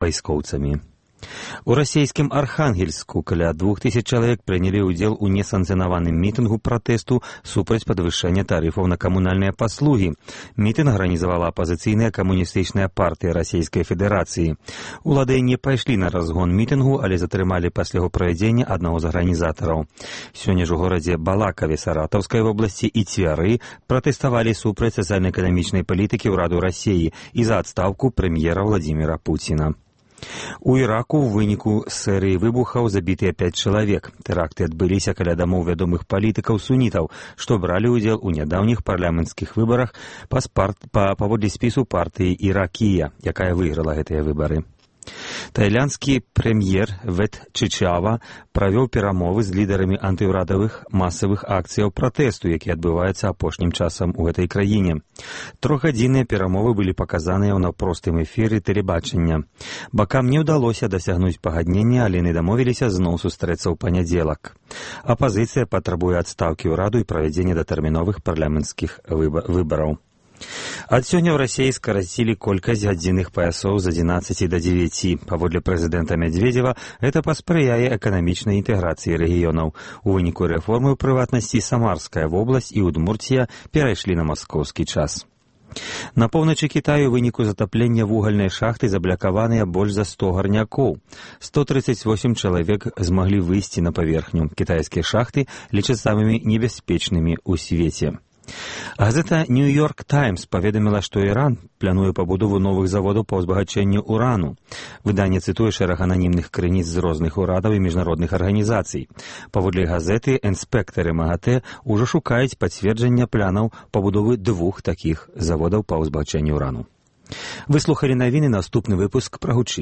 вайскоўцамі. У расійскім Архангельску каля 2000 чалавек прынялі ўдзел у несанкцыянаваным мітынгу пратэсту супраць падвышэння тарыфаў на камунальныя паслугі. Мітынг арганізавала апазіцыйная камуністычная партыя Расійскай Федэрацыі. Улады не пайшлі на разгон мітынгу, але затрымалі пасля яго правядзення аднаго з арганізатараў. Сёння ж у горадзе Балакаве Саратаўскай вобласці і Цвяры пратэставалі супраць сацыяльна-эканамічнай палітыкі ўраду Расіі і за адстаўку прэм'ера Владзіміра Пуціна. У Іраку ў выніку серыі выбухаў забітыя 5 чалавек. Тэракты адбыліся каля дамоў вядомых палітыкаў-сунітаў, што бралі ўдзел у нядаўніх парламенцкіх выбарах паводле спісу партыі Іракія, якая выйграла гэтыя выбары. Тайландскі прэм'ер Вет Чычава правёў перамовы з лідарамі антыўрадавых масавых акцыяў пратэсту, які адбываецца апошнім часам у гэтай краіне. Трохгадзінныя перамовы былі паказаныя ў наўпростым эфіры тэлебачання. Бакам не ўдалося дасягнуць пагаднення, але яны дамовіліся зноў сустрэцца ў панядзелак. Апазіцыя патрабуе адстаўкі ўраду і правядзення датэрміновых парламенцкіх выбараў. Ад сёння ў Расіі скарацілі колькасць гадзінных паясоў з 11 до 9. Паводле прэзідэнта Медведзева, гэта паспрыяе эканамічнай інтэграцыі рэгіёнаў. У выніку рэформы, ў прыватнасці, Самарская вобласць і Удмурція перайшлі на маскоўскі час. На поўначы Кітаю ў выніку затаплення вугальнай шахты заблякаваныя больш за 100 гарнякоў. 138 чалавек змаглі выйсці на паверхню. Кітайскія шахты лічаць самымі небяспечнымі ў свеце. Газета «Нью-Йорк Таймс» паведаміла, што Іран плануе пабудову новых заводаў па ўзбагачэнню урану. Выданне цытуе шэраг ананімных крыніц з розных урадаў і міжнародных арганізацый. Паводле газеты, інспектары МАГАТЭ ўжо шукаюць пацверджання планаў пабудовы 2 такіх заводаў па ўзбагачэнню урану. Вы слухалі навіны, наступны выпуск прагучыць.